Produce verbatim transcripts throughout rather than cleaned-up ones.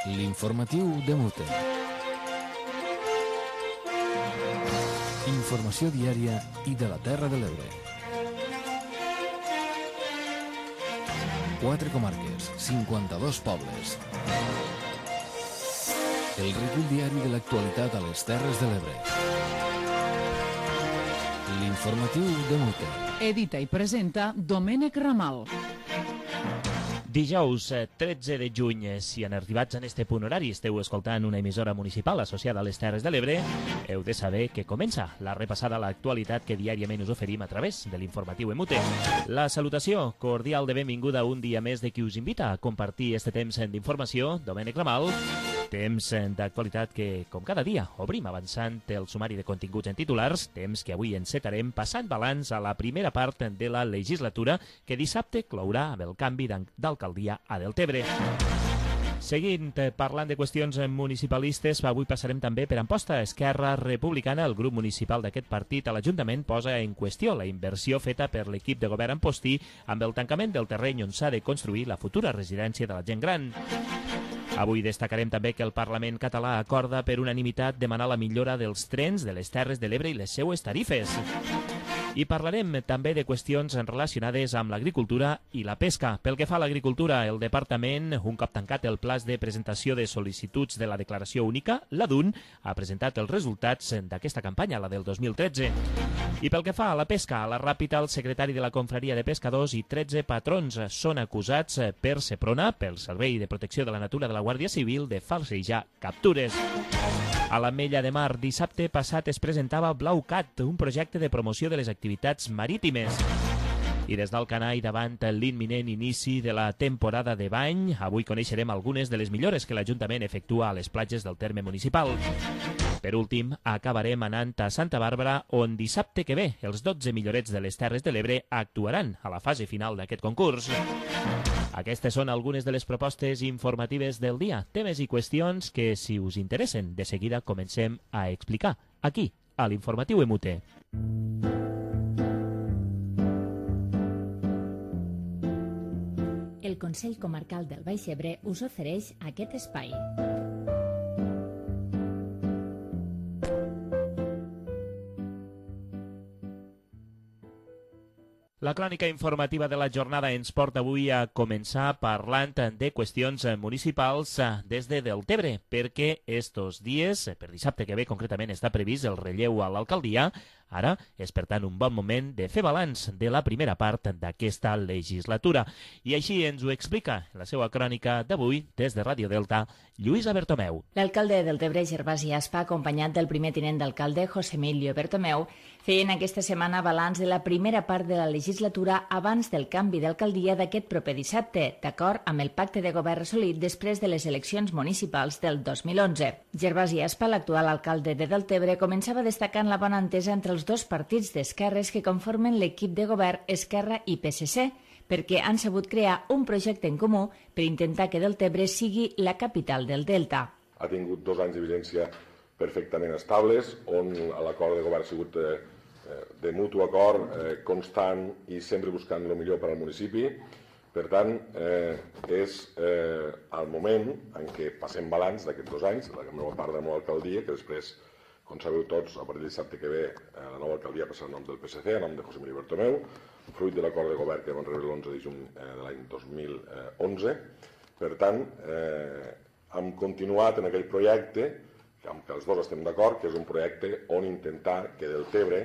L'informatiu de Mute. Informació diària i de la Terra de l'Ebre. Quatre comarques, cinquanta-dos pobles. El recull diari de l'actualitat a les Terres de l'Ebre. L'informatiu de Mute. Edita i presenta Domènec Ramal. Dijous tretze de juny, si han arribat en este punt horari esteu escoltant una emissora municipal associada a les Terres de l'Ebre, heu de saber que comença la repassada a l'actualitat que diàriament us oferim a través de l'informatiu en Mute. La salutació cordial de benvinguda un dia més de qui us invita a compartir este temps d'informació, Domènec Ramal, temps d'actualitat que, com cada dia, obrim avançant el sumari de continguts en titulars, temps que avui encetarem passant balanç a la primera part de la legislatura que dissabte clourà amb el canvi d'alcaldia a Deltebre. Seguint parlant de qüestions municipalistes, avui passarem també per Amposta. Esquerra Republicana, el grup municipal d'aquest partit a l'Ajuntament, posa en qüestió la inversió feta per l'equip de govern ampostí amb el tancament del terreny on s'ha de construir la futura residència de la gent gran. Avui destacarem també que el Parlament català acorda per unanimitat demanar la millora dels trens de les Terres de l'Ebre i les seues tarifes. I parlarem també de qüestions relacionades amb l'agricultura i la pesca. Pel que fa a l'agricultura, el Departament, un cop tancat el plaç de presentació de sol·licituds de la declaració única, la D U N, ha presentat els resultats d'aquesta campanya, la del dos mil tretze. I pel que fa a la pesca, a la Ràpita, el secretari de la Confraria de Pescadors i tretze patrons són acusats per Seprona, pel Servei de Protecció de la Natura de la Guàrdia Civil, de falsejar captures. A l'Ametlla de Mar, dissabte passat es presentava BlauCat, un projecte de promoció de les activitats marítimes. I des d'Alcanar i davant l'imminent inici de la temporada de bany, avui coneixerem algunes de les millores que l'Ajuntament efectua a les platges del terme municipal. Per últim, acabarem anant a Santa Bàrbara, on dissabte que ve els dotze millorets de les Terres de l'Ebre actuaran a la fase final d'aquest concurs. Aquestes són algunes de les propostes informatives del dia, temes i qüestions que, si us interessen, de seguida comencem a explicar, aquí, a l'Informatiu en Mute. El Consell Comarcal del Baix Ebre us ofereix aquest espai. La crònica informativa de la jornada ens porta avui a començar parlant de qüestions municipals des de Deltebre, perquè estos dies, per dissabte que ve concretament, està previst el relleu a l'alcaldia. Ara és, per tant, un bon moment de fer balanç de la primera part d'aquesta legislatura. I així ens ho explica en la seva crònica d'avui, des de Ràdio Delta, Lluïsa Bertomeu. L'alcalde de Deltebre, Gervasi Aspa, acompanyat del primer tinent d'alcalde, José Emilio Bertomeu, feien aquesta setmana balanç de la primera part de la legislatura abans del canvi d'alcaldia d'aquest proper dissabte, d'acord amb el pacte de govern assolit després de les eleccions municipals del dos mil onze. Gervasi Aspa, l'actual alcalde de Deltebre, començava destacant la bona entesa entre els dos partits d'esquerres que conformen l'equip de govern Esquerra i P S C, perquè han sabut crear un projecte en comú per intentar que Deltebre sigui la capital del Delta. Ha tingut dos anys de vigència perfectament estables, on l'acord de govern ha sigut eh, de mutu acord, eh, constant i sempre buscant el millor per al municipi. Per tant, eh, és eh, el moment en què passem balanç d'aquests dos anys, la nova part de la nova alcaldia, que després, com sabeu tots, a partir de dissabte que ve, la nova alcaldia passarà a nom del P S C, a nom de José Emilio Bertomeu, fruit de l'acord de govern que vam rebre l'onze de juny de l'any dos mil onze. Per tant, eh, hem continuat en aquell projecte, amb què els dos estem d'acord, que és un projecte on intentar que Deltebre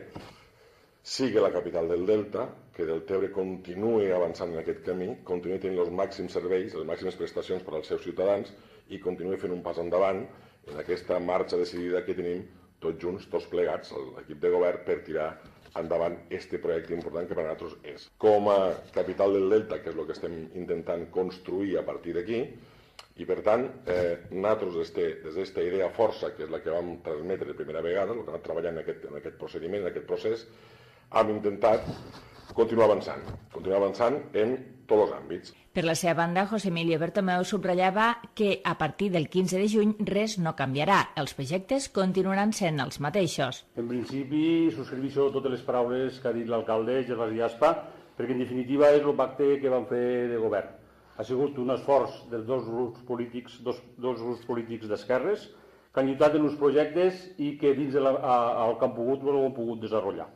sigui la capital del Delta, que Deltebre continuï avançant en aquest camí, continuï tenint els màxims serveis, les màximes prestacions per als seus ciutadans i continuï fent un pas endavant en aquesta marxa decidida que tenim tots junts, tots plegats, l'equip de govern, per tirar endavant este projecte important que per a nosaltres és. Com a capital del Delta, que és el que estem intentant construir a partir d'aquí, i per tant, eh, nosaltres des d'aquesta idea força, que és la que vam transmetre de primera vegada, el que hem anat treballant en aquest, en aquest procediment, en aquest procés, hem intentat continuar avançant, continuar avançant en tots els àmbits. Per la seva banda, José Emilio Bertomeu subratllava que a partir del quinze de juny res no canviarà. Els projectes continuaran sent els mateixos. En principi, subscriveixo totes les paraules que ha dit l'alcalde, Gervasi Aspa, perquè en definitiva és el pacte que vam fer de govern. ha sigut un esforç dels dos grups polítics, dos, dos grups polítics d'esquerres que han lluitat en uns projectes i que dins de la, a, el que han pogut ho han pogut desenvolupar.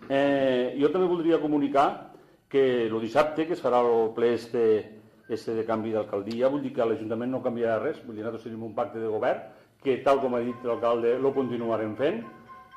Eh, jo també voldria comunicar que el dissabte, que es farà el ple este, este de canvi d'alcaldia, vull dir que l'Ajuntament no canviarà res, vull dir que nosaltres tenim un pacte de govern que, tal com ha dit l'alcalde, lo continuarem fent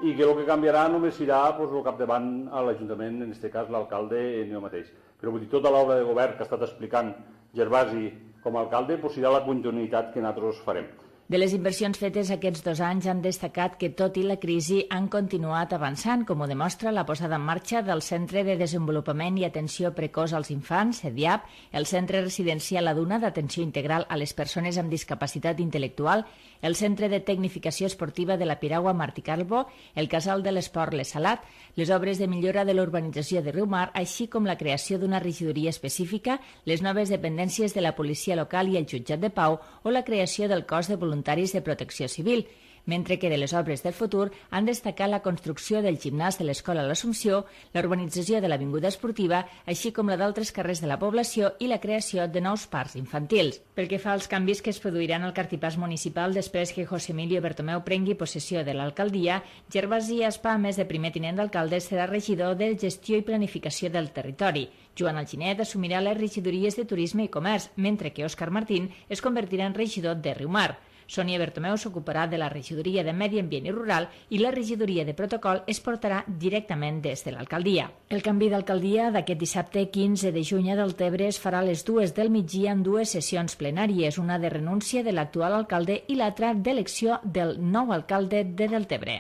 i que el que canviarà només serà pues, el capdavant a l'Ajuntament, en aquest cas l'alcalde en jo mateix. Però vull dir, tota l'obra de govern que ha estat explicant Gervasi com a alcalde pues, serà la continuïtat que nosaltres farem. De les inversions fetes aquests dos anys han destacat que, tot i la crisi, han continuat avançant, com ho demostra la posada en marxa del Centre de Desenvolupament i Atenció Precoç als Infants, CEDIAP, el Centre Residencial La Duna d'Atenció Integral a les Persones amb Discapacitat Intel·lectual, el Centre de Tecnificació Esportiva de la Piragua Martí Calvo, el Casal de l'Esport Les Salat, les obres de millora de l'urbanització de Riumar, així com la creació d'una regidoria específica, les noves dependències de la policia local i el jutjat de pau o la creació del cos de voluntaris de protecció civil, mentre que de les obres del futur han destacat la construcció del gimnàs de l'Escola L'Assumpció, la urbanització de l'Avinguda Esportiva, així com la d'altres carrers de la població i la creació de nous parcs infantils. Pel que fa als canvis que es produiran al cartipàs municipal després que José Emilio Bertomeu prengui possessió de l'alcaldia, Gervasi Aspa, a més de primer tinent d'alcalde, serà regidor de Gestió i Planificació del Territori. Joan Alginet assumirà les regidories de Turisme i Comerç, mentre que Òscar Martín es convertirà en regidor de Riumar. Sònia Bertomeu s'ocuparà de la regidoria de Medi Ambient i Rural i la regidoria de Protocol es portarà directament des de l'alcaldia. El canvi d'alcaldia d'aquest dissabte quinze de juny a Deltebre es farà a les dues del migdia en dues sessions plenàries, una de renúncia de l'actual alcalde i l'altra d'elecció del nou alcalde de Deltebre.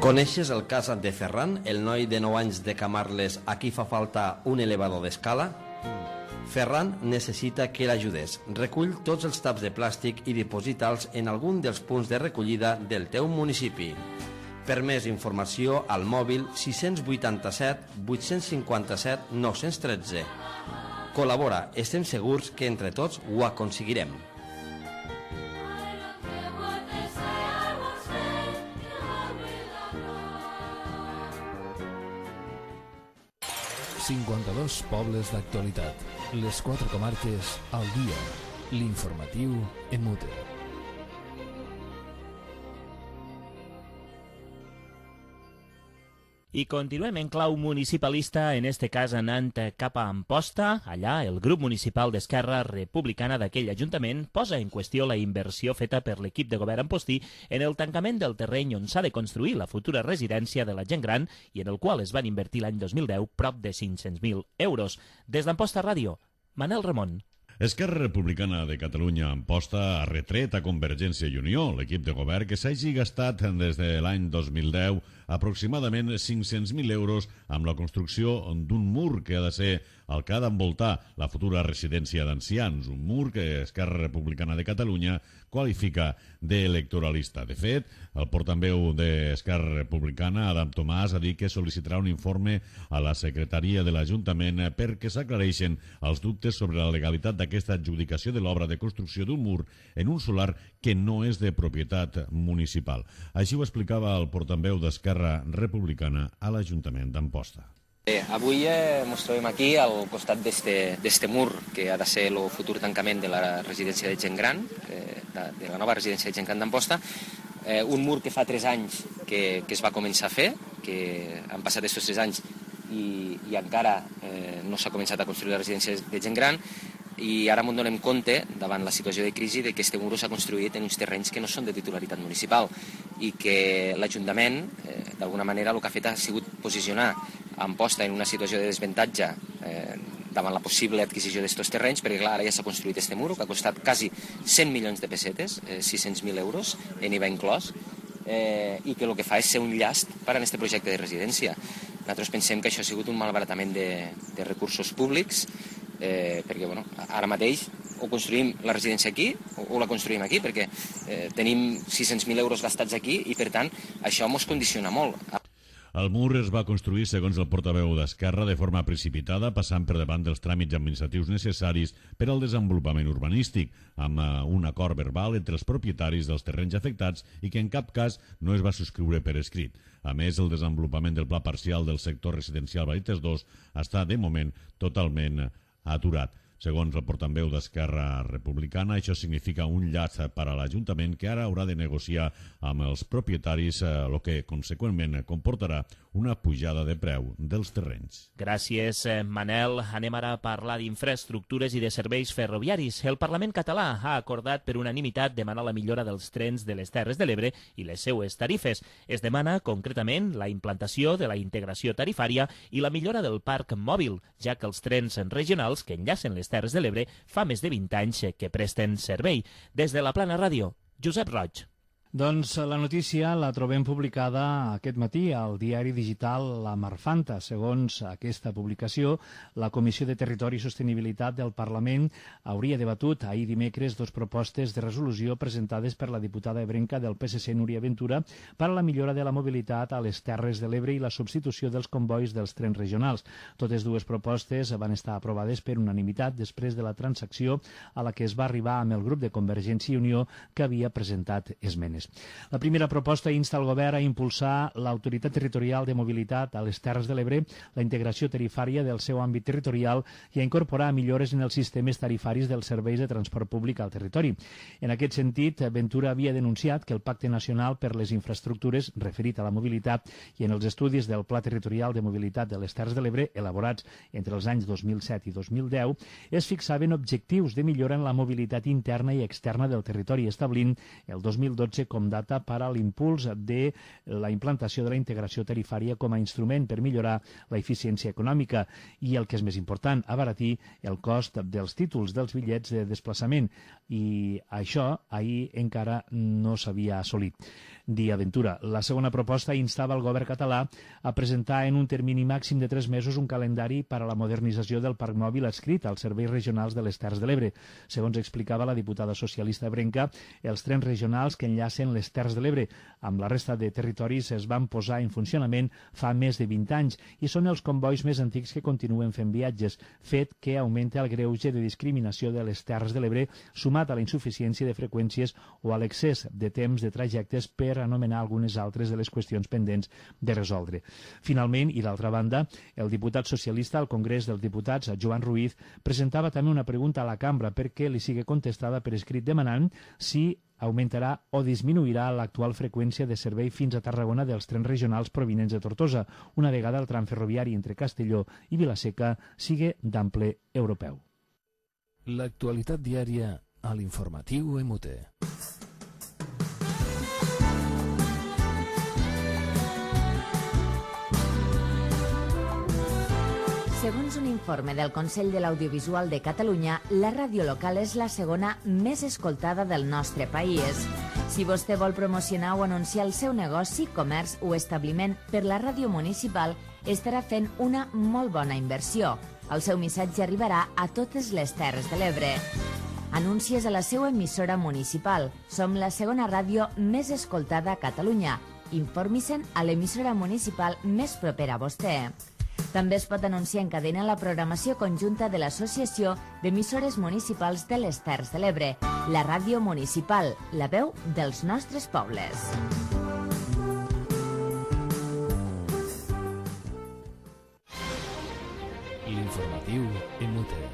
Coneixes el cas de Ferran, el noi de nou anys de Camarles a qui fa falta un elevador d'escala? Ferran necessita que l'ajudes. Recull tots els taps de plàstic i diposita'ls en algun dels punts de recollida del teu municipi. Per més informació, al mòbil sis vuitanta-set vuit cinquanta-set nou tretze. Col·labora, estem segurs que entre tots ho aconseguirem. cinquanta-dos pobles d'actualitat. Les quatre comarques al dia. L'informatiu Emute. I continuem en clau municipalista, en este cas anant cap a Amposta. Allà, el grup municipal d'Esquerra Republicana d'aquell ajuntament posa en qüestió la inversió feta per l'equip de govern ampostí en el tancament del terreny on s'ha de construir la futura residència de la gent gran i en el qual es van invertir l'any dos mil deu prop de cinc-cents mil euros. Des d'Amposta Ràdio, Manel Ramon. Esquerra Republicana de Catalunya Amposta ha retret a Convergència i Unió, l'equip de govern, que s'hagi gastat des de l'any dos mil deu aproximadament cinc-cents mil euros amb la construcció d'un mur que ha de ser el que ha d'envoltar la futura residència d'ancians, un mur que Esquerra Republicana de Catalunya qualifica d'electoralista. De fet, el portaveu d'Esquerra Republicana, Adam Tomàs, ha dit que sol·licitarà un informe a la secretaria de l'Ajuntament perquè s'aclareixen els dubtes sobre la legalitat d'aquesta adjudicació de l'obra de construcció d'un mur en un solar que no és de propietat municipal. Així ho explicava el portaveu d'Esquerra Republicana a l'Ajuntament d'Amposta. Bé, avui eh, ens trobem aquí al costat d'este mur que ha de ser el futur tancament de la residència de gent gran, eh, de, de la nova residència de gent gran d'Amposta, eh, un mur que fa tres anys que, que es va començar a fer, que han passat aquests tres anys i, i encara eh, no s'ha començat a construir la residència de gent gran, i ara ens donem compte, davant la situació de crisi, que aquest mur s'ha construït en uns terrenys que no són de titularitat municipal i que l'Ajuntament, eh, d'alguna manera, el que ha fet ha sigut posicionar Amposta en una situació de desavantatge eh, davant la possible adquisició d'aquests terrenys, perquè clar, ara ja s'ha construït aquest mur, que ha costat quasi cent milions de pessetes, eh, sis-cents mil euros, en I V A inclòs, eh, i que el que fa és ser un llast per a aquest projecte de residència. Nosaltres pensem que això ha sigut un malbaratament de, de recursos públics, eh, perquè bueno, ara mateix o construïm la residència aquí o, o la construïm aquí, perquè eh, tenim sis-cents mil euros gastats aquí i per tant això ens condiciona molt. El mur es va construir, segons el portaveu d'Esquerra, de forma precipitada, passant per davant dels tràmits administratius necessaris per al desenvolupament urbanístic, amb un acord verbal entre els propietaris dels terrenys afectats i que en cap cas no es va subscriure per escrit. A més, el desenvolupament del pla parcial del sector residencial Vallès dos està, de moment, totalment aturat. Segons el portaveu d'Esquerra Republicana, això significa un llaç per a l'Ajuntament que ara haurà de negociar amb els propietaris, el que conseqüentment comportarà una pujada de preu dels terrenys. Gràcies, Manel. Anem ara a parlar d'infraestructures i de serveis ferroviaris. El Parlament català ha acordat per unanimitat demanar la millora dels trens de les Terres de l'Ebre i les seues tarifes. Es demana, concretament, la implantació de la integració tarifària i la millora del parc mòbil, ja que els trens regionals que enllacen les Terres de l'Ebre fa més de vint anys que presten servei. Des de la Plana Ràdio, Josep Roig. Doncs la notícia la trobem publicada aquest matí al diari digital La Marfanta. Segons aquesta publicació, la Comissió de Territori i Sostenibilitat del Parlament hauria debatut ahir dimecres dos propostes de resolució presentades per la diputada ebrenca del P S C, Núria Ventura, per a la millora de la mobilitat a les Terres de l'Ebre i la substitució dels convois dels trens regionals. Totes dues propostes van estar aprovades per unanimitat després de la transacció a la que es va arribar amb el grup de Convergència i Unió que havia presentat esmenes. La primera proposta insta el govern a impulsar l'Autoritat Territorial de Mobilitat a les Terres de l'Ebre, la integració tarifària del seu àmbit territorial i a incorporar millores en els sistemes tarifaris dels serveis de transport públic al territori. En aquest sentit, Ventura havia denunciat que el Pacte Nacional per les Infraestructures, referit a la mobilitat, i en els estudis del Pla Territorial de Mobilitat de les Terres de l'Ebre, elaborats entre els anys dos mil set i dos mil deu, es fixaven objectius de millora en la mobilitat interna i externa del territori, establint el dos mil dotze com data per a l'impuls de la implantació de la integració tarifària com a instrument per millorar l'eficiència econòmica i, el que és més important, abaratir el cost dels títols dels bitllets de desplaçament. I això ahir encara no s'havia assolit. Dia Ventura. La segona proposta instava el govern català a presentar en un termini màxim de tres mesos un calendari per a la modernització del parc mòbil adscrit als serveis regionals de les Terres de l'Ebre. Segons explicava la diputada socialista ebrenca, els trens regionals que enllacen les Terres de l'Ebre amb la resta de territoris es van posar en funcionament fa més de vint anys i són els convois més antics que continuen fent viatges, fet que augmenta el greuge de discriminació de les Terres de l'Ebre, sumat a la insuficiència de freqüències o a l'excés de temps de trajectes per anomenar algunes altres de les qüestions pendents de resoldre. Finalment, i d'altra banda, el diputat socialista al Congrés dels Diputats, Joan Ruiz, presentava també una pregunta a la cambra perquè li sigui contestada per escrit demanant si augmentarà o disminuirà l'actual freqüència de servei fins a Tarragona dels trens regionals provinents de Tortosa, una vegada el tram ferroviari entre Castelló i Vilaseca sigui d'ample europeu. L'actualitat diària a l'informatiu M T. Segons un informe del Consell de l'Audiovisual de Catalunya, la ràdio local és la segona més escoltada del nostre país. Si vostè vol promocionar o anunciar el seu negoci, comerç o establiment per la ràdio municipal, estarà fent una molt bona inversió. El seu missatge arribarà a totes les Terres de l'Ebre. Anuncies a la seva emissora municipal. Som la segona ràdio més escoltada a Catalunya. Informi-se'n a l'emissora municipal més propera a vostè. També es pot anunciar en cadena la programació conjunta de l'Associació d'Emissores Municipals de les Terres de l'Ebre, la ràdio municipal, la veu dels nostres pobles. L'informatiu M T.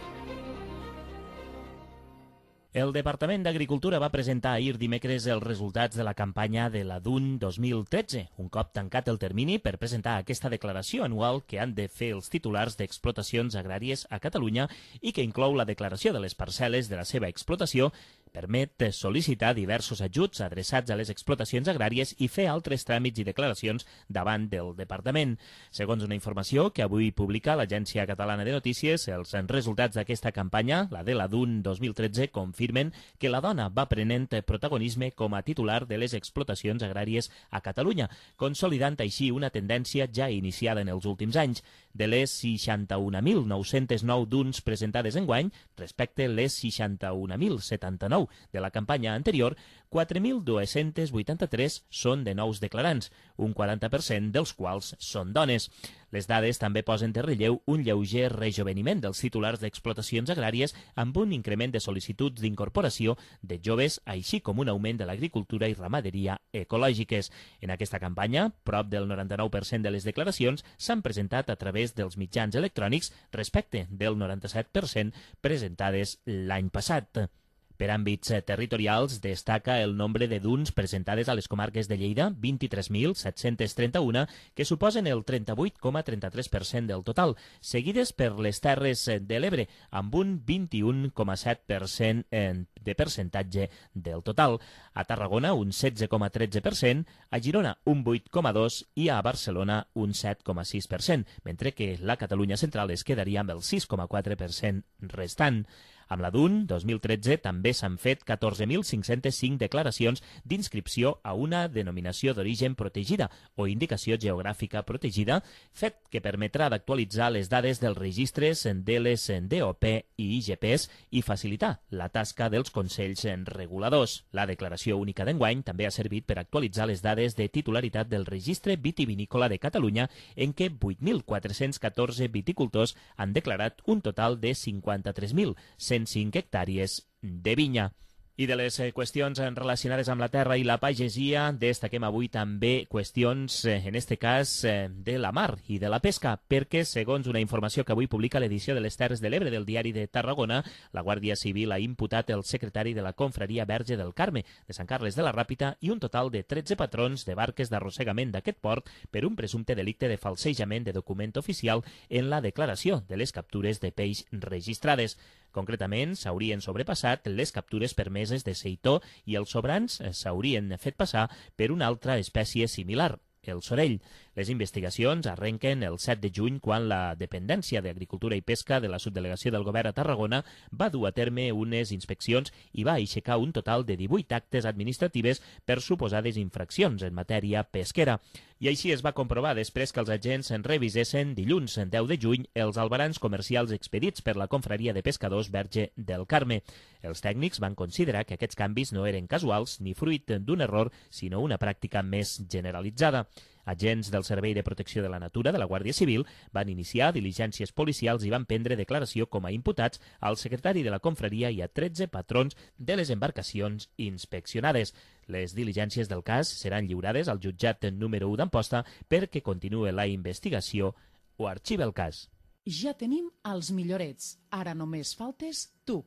El Departament d'Agricultura va presentar ahir dimecres els resultats de la campanya de la D U N dos mil tretze, un cop tancat el termini per presentar aquesta declaració anual que han de fer els titulars d'explotacions agràries a Catalunya i que inclou la declaració de les parcel·les de la seva explotació, permet sol·licitar diversos ajuts adreçats a les explotacions agràries i fer altres tràmits i declaracions davant del Departament. Segons una informació que avui publica l'Agència Catalana de Notícies, els resultats d'aquesta campanya, la de la D U N dos mil tretze, confirmen que la dona va prenent protagonisme com a titular de les explotacions agràries a Catalunya, consolidant així una tendència ja iniciada en els últims anys. De les seixanta-un mil nou-cents nou D U Ns presentades enguany, respecte les seixanta-un mil setanta-nou nou de la campanya anterior, quatre mil dos-cents vuitanta-tres són de nous declarants, un quaranta per cent dels quals són dones. Les dades també posen de relleu un lleuger rejoveniment dels titulars d'explotacions agràries amb un increment de sol·licituds d'incorporació de joves, així com un augment de l'agricultura i ramaderia ecològiques. En aquesta campanya, prop del noranta-nou per cent de les declaracions s'han presentat a través dels mitjans electrònics respecte del noranta-set per cent presentades l'any passat. Per àmbits territorials, destaca el nombre de D U Ns presentades a les comarques de Lleida, vint-i-tres mil set-cents trenta-un, que suposen el trenta-vuit coma trenta-tres per cent del total, seguides per les Terres de l'Ebre, amb un vint-i-un coma set per cent de percentatge del total. A Tarragona, un setze coma tretze per cent, a Girona, un vuit coma dos per cent i a Barcelona, un set coma sis per cent, mentre que la Catalunya central es quedaria amb el sis coma quatre per cent restant. Amb la D U N dos mil tretze també s'han fet catorze mil cinc-cents cinc declaracions d'inscripció a una denominació d'origen protegida o indicació geogràfica protegida, fet que permetrà d'actualitzar les dades dels registres de les D O P i I G Ps i facilitar la tasca dels consells reguladors. La declaració única d'enguany també ha servit per actualitzar les dades de titularitat del registre vitivinícola de Catalunya, en què vuit mil quatre-cents catorze viticultors han declarat un total de cinquanta-tres mil cent cinc hectàrees de vinya. I de les qüestions relacionades amb la terra i la pagesia, destaquem avui també qüestions, en este cas, de la mar i de la pesca, perquè, segons una informació que avui publica l'edició de les Terres de l'Ebre del Diari de Tarragona, la Guàrdia Civil ha imputat el secretari de la Confraria Verge del Carme de Sant Carles de la Ràpita i un total de tretze patrons de barques d'arrossegament d'aquest port per un presumpte delicte de falsejament de document oficial en la declaració de les captures de peix registrades. Concretament, s'haurien sobrepassat les captures permeses de seitó i els sobrants s'haurien fet passar per una altra espècie similar, el sorell. Les investigacions arrenquen el set de juny, quan la Dependència d'Agricultura i Pesca de la Subdelegació del Govern a Tarragona va dur a terme unes inspeccions i va aixecar un total de divuit actes administratives per suposades infraccions en matèria pesquera. I així es va comprovar després que els agents en revisessin dilluns deu de juny els albarans comercials expedits per la Confraria de Pescadors Verge del Carme. Els tècnics van considerar que aquests canvis no eren casuals ni fruit d'un error, sinó una pràctica més generalitzada. Agents del Servei de Protecció de la Natura de la Guàrdia Civil van iniciar diligències policials i van prendre declaració com a imputats al secretari de la confraria i a tretze patrons de les embarcacions inspeccionades. Les diligències del cas seran lliurades al jutjat número u d'Amposta perquè continuï la investigació o arxivi el cas. Ja tenim els millorets. Ara només faltes tu.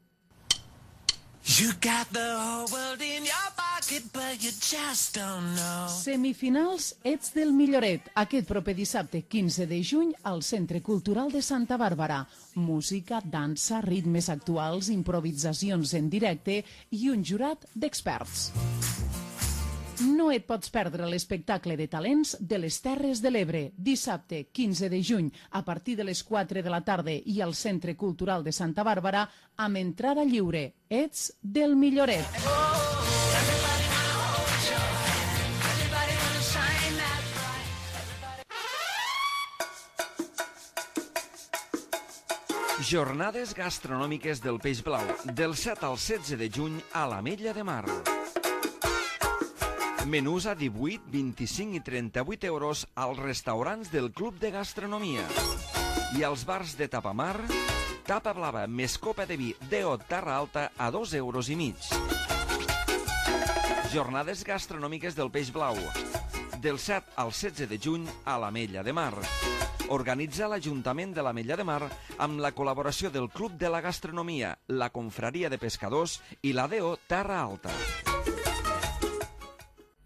You got the whole world in your pocket, but you just don't know. Semifinals Ets del Milloret, aquest proper dissabte quinze de juny al Centre Cultural de Santa Bàrbara. Música, dansa, ritmes actuals, improvisacions en directe i un jurat d'experts. No et pots perdre l'espectacle de talents de les Terres de l'Ebre, dissabte quinze de juny a partir de les quatre de la tarda i al Centre Cultural de Santa Bàrbara amb entrada lliure. Ets del Milloret. Jornades gastronòmiques del Peix Blau, del set al setze de juny a l'Ametlla de Mar. Menús a divuit, vint-i-cinc i trenta-vuit euros als restaurants del Club de Gastronomia. I als bars de Tapamar, tapa blava més copa de vi D O Terra Alta a dos euros i mig. Jornades gastronòmiques del Peix Blau, del set al setze de juny a l'Ametlla de Mar. Organitza l'Ajuntament de l'Ametlla de Mar amb la col·laboració del Club de la Gastronomia, la Confraria de Pescadors i la D O Terra Alta.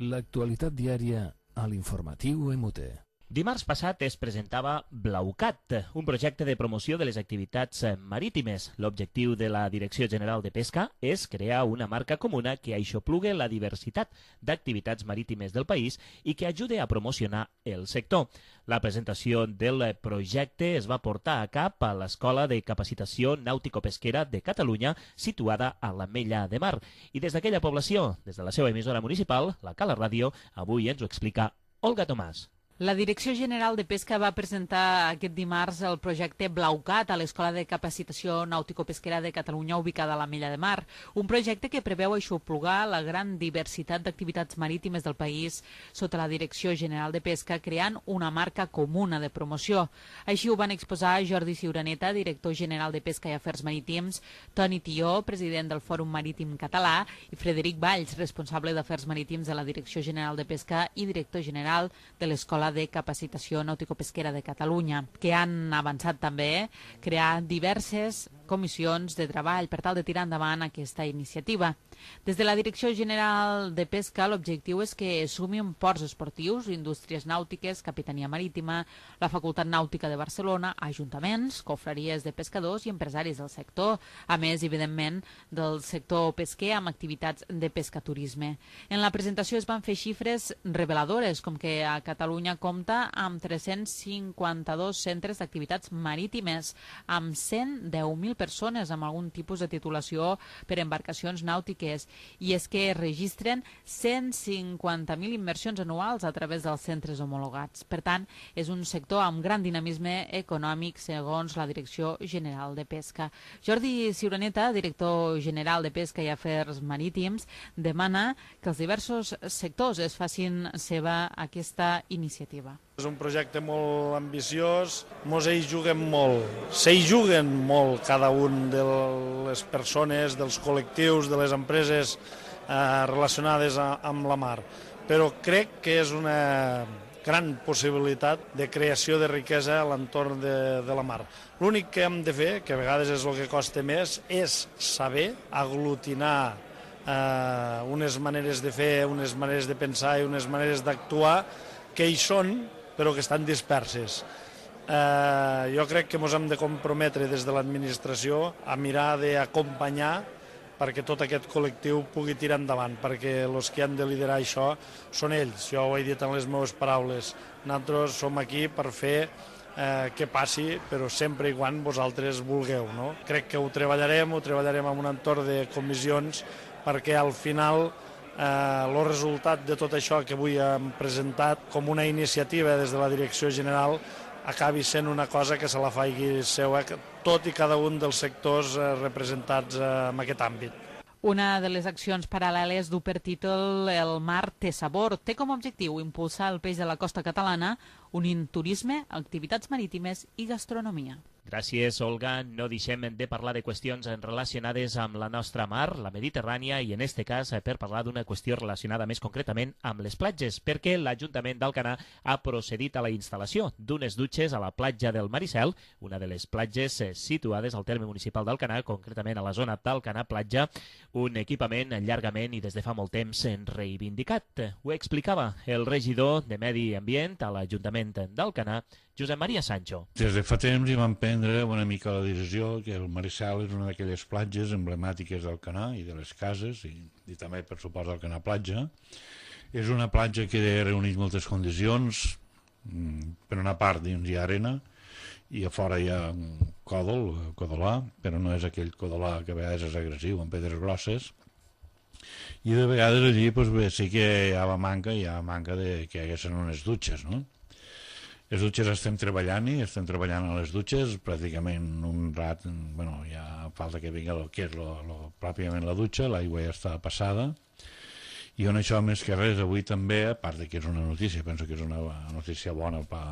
L'actualitat diària a l'informatiu M U T. Dimarts passat es presentava Blaucat, un projecte de promoció de les activitats marítimes. L'objectiu de la Direcció General de Pesca és crear una marca comuna que aixoplugue la diversitat d'activitats marítimes del país i que ajude a promocionar el sector. La presentació del projecte es va portar a cap a l'Escola de Capacitació Nàutico-Pesquera de Catalunya, situada a l'Ametlla de Mar. I des d'aquella població, des de la seva emissora municipal, la Cala Ràdio, avui ens ho explica Olga Tomàs. La Direcció General de Pesca va presentar aquest dimarts el projecte Blaucat a l'Escola de Capacitació Nàutico-Pesquera de Catalunya ubicada a l'Ametlla de Mar, un projecte que preveu aixoplugar la gran diversitat d'activitats marítimes del país sota la Direcció General de Pesca, creant una marca comuna de promoció. Així ho van exposar Jordi Ciuraneta, director general de Pesca i Afers Marítims, Toni Tió, president del Fòrum Marítim Català, i Frederic Valls, responsable d'Afers Marítims de la Direcció General de Pesca i director general de l'Escola de Capacitació Nàutico-Pesquera de Catalunya, que han avançat també crear diverses comissions de treball per tal de tirar endavant aquesta iniciativa. Des de la Direcció General de Pesca, l'objectiu és que sumin ports esportius, indústries nàutiques, Capitania Marítima, la Facultat Nàutica de Barcelona, ajuntaments, confraries de pescadors i empresaris del sector, a més, evidentment, del sector pesquer amb activitats de pescaturisme. En la presentació es van fer xifres reveladores, com que a Catalunya compta amb tres-cents cinquanta-dos centres d'activitats marítimes, amb cent deu mil persones amb algun tipus de titulació per embarcacions nàutiques, i és que es registren cent cinquanta mil inversions anuals a través dels centres homologats. Per tant, és un sector amb gran dinamisme econòmic segons la Direcció General de Pesca. Jordi Ciuraneta, director general de Pesca i Afers Marítims, demana que els diversos sectors es facin seva aquesta iniciativa. És un projecte molt ambiciós, mos hi juguem molt, s'hi juguen molt cada un de les persones, dels col·lectius, de les empreses eh, relacionades a, amb la mar, però crec que és una gran possibilitat de creació de riquesa a l'entorn de, de la mar. L'únic que hem de fer, que a vegades és el que costa més, és saber aglutinar eh, unes maneres de fer, unes maneres de pensar i unes maneres d'actuar que hi són, però que estan disperses. Eh, jo crec que ens hem de comprometre des de l'administració a mirar d'acompanyar perquè tot aquest col·lectiu pugui tirar endavant, perquè els que han de liderar això són ells. Jo ho he dit en les meves paraules. Nosaltres som aquí per fer eh, que passi, però sempre i quan vosaltres vulgueu. No? Crec que ho treballarem, ho treballarem en un entorn de comissions, perquè al final el eh, resultat de tot això que avui hem presentat com una iniciativa des de la Direcció General acabi sent una cosa que se la faci seua tot i cada un dels sectors eh, representats eh, en aquest àmbit. Una de les accions paral·leles du per títol El mar té sabor. Té com a objectiu impulsar el peix de la costa catalana, unint turisme, activitats marítimes i gastronomia. Gràcies, Olga. No deixem de parlar de qüestions relacionades amb la nostra mar, la Mediterrània, i en este cas per parlar d'una qüestió relacionada més concretament amb les platges, perquè l'Ajuntament d'Alcanar ha procedit a la instal·lació d'unes dutxes a la platja del Maricel, una de les platges situades al terme municipal d'Alcanar, concretament a la zona d'Alcanar Platja, un equipament llargament i des de fa molt temps reivindicat. Ho explicava el regidor de Medi Ambient a l'Ajuntament d'Alcanar, Josep Maria Sancho. Des de fa temps hi vam prendre una mica la decisió que el Maricel és una d'aquelles platges emblemàtiques d'Alcanar i de les cases, i, i també per supost d'Alcanar Platja. És una platja que reuneix moltes condicions. Per una part dins hi ha arena i a fora hi ha un còdol, codolà, però no és aquell codolà que a vegades és agressiu, amb pedres grosses. I de vegades allí doncs, bé, sí que hi ha manca, hi ha manca de que hi haguessin unes dutxes, no? Les dutxes estem treballant-hi, estem treballant a les dutxes, pràcticament un rat, bueno, ja falta que vingui el que és lo, lo, pròpiament la dutxa, l'aigua ja està passada, i on això més que res avui també, a part de que és una notícia, penso que és una notícia bona per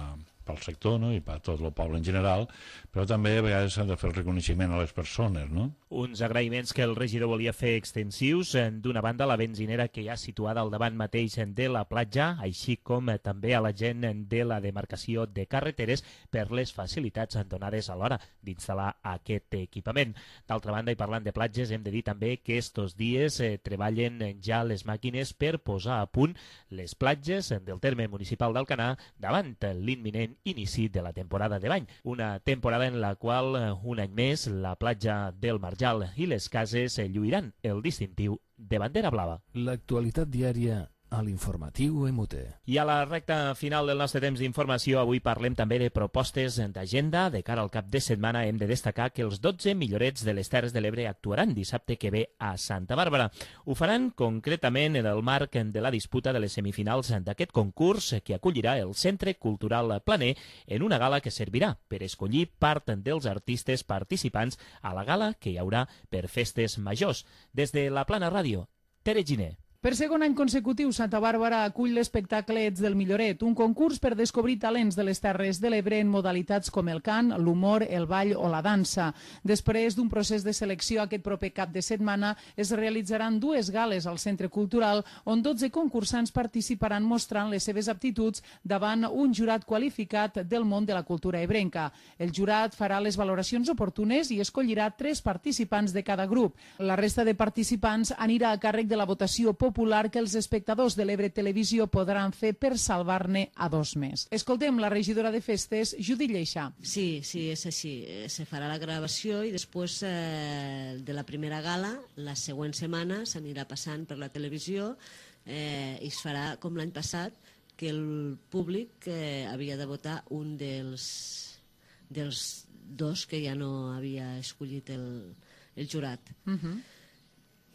pel sector, no? I per tot el poble en general, però també a vegades s'ha de fer el reconeixement a les persones, no? Uns agraïments que el regidor volia fer extensius, d'una banda la benzinera que hi ha situada al davant mateix de la platja, així com també a la gent de la demarcació de carreteres per les facilitats donades a l'hora d'instal·lar aquest equipament. D'altra banda, i parlant de platges, hem de dir també que estos dies eh, treballen ja les màquines per posar a punt les platges del terme municipal d'Alcanar davant l'imminent inici de la temporada de bany, una temporada en la qual un any més la platja del Marjal i les cases lluiran el distintiu de bandera blava. L'actualitat diària a l'informatiu E M U T E. I a la recta final del nostre temps d'informació, avui parlem també de propostes d'agenda. De cara al cap de setmana hem de destacar que els dotze millorets de les Terres de l'Ebre actuaran dissabte que ve a Santa Bàrbara. Ho faran concretament en el marc de la disputa de les semifinals d'aquest concurs que acollirà el Centre Cultural Planer en una gala que servirà per escollir part dels artistes participants a la gala que hi haurà per festes majors. Des de la Plana Ràdio, Tere Giner. Per segon any consecutiu, Santa Bàrbara acull l'espectacle Ets del Milloret, un concurs per descobrir talents de les Terres de l'Ebre en modalitats com el cant, l'humor, el ball o la dansa. Després d'un procés de selecció, aquest proper cap de setmana es realitzaran dues gales al Centre Cultural on dotze concursants participaran mostrant les seves aptituds davant un jurat qualificat del món de la cultura ebrenca. El jurat farà les valoracions oportunes i escollirà tres participants de cada grup. La resta de participants anirà a càrrec de la votació popular popular que els espectadors de l'Ebre Televisió podran fer per salvar-ne a dos més. Escoltem la regidora de festes, Judit Lleixa. Sí, sí, és així. Se farà la gravació i després eh, de la primera gala, la següent setmana s'anirà passant per la televisió eh, i es farà com l'any passat, que el públic eh, havia de votar un dels, dels dos que ja no havia escollit el, el jurat. Uh-huh.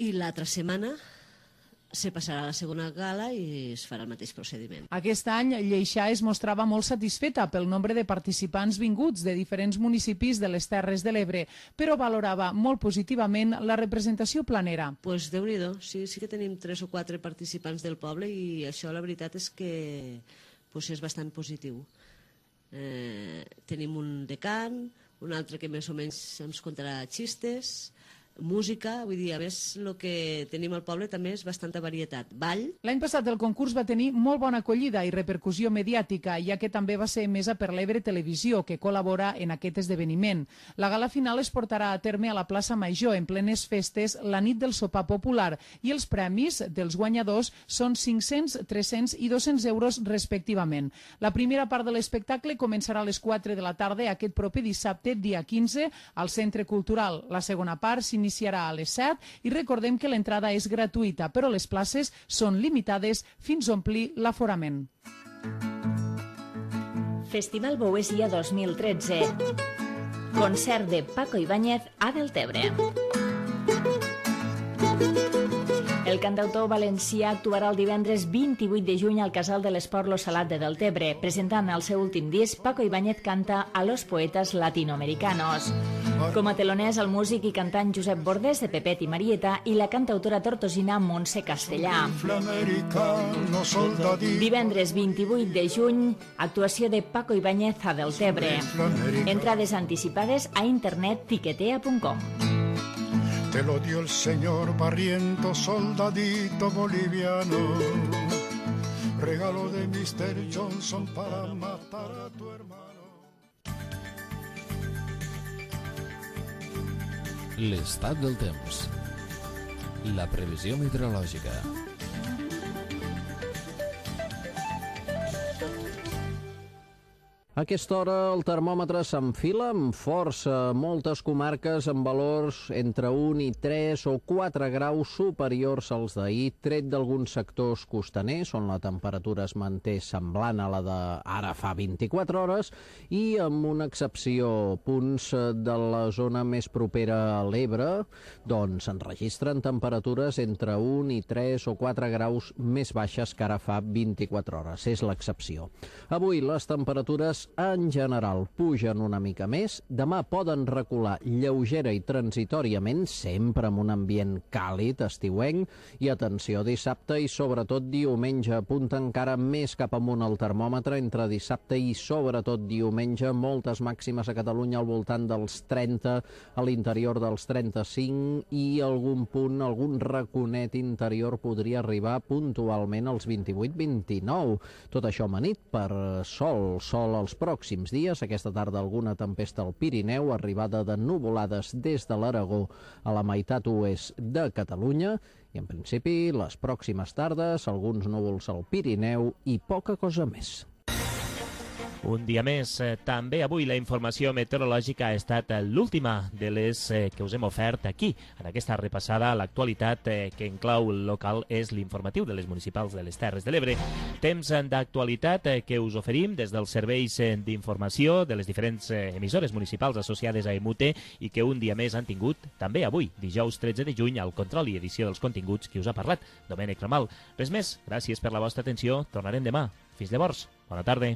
I l'altra setmana se passarà a la segona gala i es farà el mateix procediment. Aquest any, Lleixa es mostrava molt satisfeta pel nombre de participants vinguts de diferents municipis de les Terres de l'Ebre, però valorava molt positivament la representació planera. Pues Déu-n'hi-do, sí, sí que tenim tres o quatre participants del poble i això la veritat és que pues, és bastant positiu. Eh, tenim un de cant, un altre que més o menys ens contarà xistes, música, vull dir, a més, el que tenim al poble també és bastanta varietat. Ball. L'any passat el concurs va tenir molt bona acollida i repercussió mediàtica, ja que també va ser emesa per l'Ebre Televisió, que col·labora en aquest esdeveniment. La gala final es portarà a terme a la plaça Major, en plenes festes, la nit del sopar popular, i els premis dels guanyadors són cinc-cents, tres-cents i dos-cents euros respectivament. La primera part de l'espectacle començarà a les quatre de la tarda aquest proper dissabte, dia quinze, al Centre Cultural. La segona part s'iniciarà a les set i recordem que l'entrada és gratuïta, però les places són limitades fins a omplir l'aforament. Festival Boesia dos mil tretze. Concert de Paco Ibáñez a Deltebre. El cantautor valencià actuarà el divendres vint-i-vuit de juny al Casal de l'Esport Lo Salat de Deltebre. Presentant el seu últim disc, Paco Ibáñez canta a los poetas latinoamericanos. Com a teloners, el músic i cantant Josep Bordés, de Pepet i Marieta, i la cantautora tortosina Montse Castellà. Divendres vint-i-vuit de juny, actuació de Paco Ibáñez a Deltebre. Entrades anticipades a internet tiquetea punt com. Te lo dio el señor Barriento, soldadito boliviano, regalo de mister Johnson para matar a tu hermano. L'estat del temps. La previsió meteorològica. A aquesta hora el termòmetre s'enfila amb força, moltes comarques amb valors entre un i tres o quatre graus superiors als d'ahir, tret d'alguns sectors costaners, on la temperatura es manté semblant a la d'ara fa vint-i-quatre hores, i amb una excepció, punts de la zona més propera a l'Ebre, doncs s'enregistren temperatures entre un i tres o quatre graus més baixes que ara fa vint-i-quatre hores. És l'excepció. Avui les temperatures en general pugen una mica més, demà poden recular lleugera i transitòriament, sempre amb un ambient càlid, estiuenc, i atenció, dissabte i sobretot diumenge, apunta encara més cap amunt el termòmetre, entre dissabte i sobretot diumenge, moltes màximes a Catalunya al voltant dels trenta, a l'interior dels trenta-cinc, i algun punt, algun raconet interior podria arribar puntualment als vint-i-vuit vint-i-nou. Tot això amanit per sol, sol als pròxims dies, aquesta tarda alguna tempesta al Pirineu, arribada de nuvolades des de l'Aragó a la meitat oest de Catalunya, i en principi les pròximes tardes alguns núvols al Pirineu i poca cosa més. Un dia més, eh, també avui la informació meteorològica ha estat l'última de les eh, que us hem ofert aquí. En aquesta repassada, l'actualitat eh, que en clau local és l'informatiu de les municipals de les Terres de l'Ebre. Temps d'actualitat eh, que us oferim des dels serveis eh, d'informació de les diferents eh, emissores municipals associades a Emute i que un dia més han tingut també avui, dijous tretze de juny, al control i edició dels continguts qui us ha parlat, Domènec Ramal. Res més, gràcies per la vostra atenció, tornarem demà. Fins llavors, bona tarda.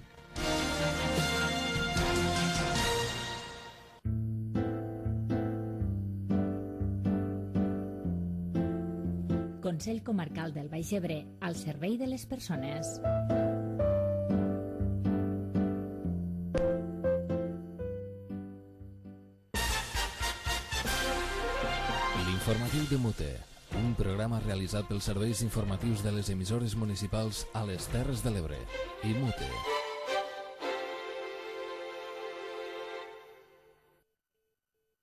Consell Comarcal del Baix Ebre, al servei de les persones. L'informatiu de Mute, un programa realitzat pels serveis informatius de les emissores municipals a les Terres de l'Ebre. I Mute.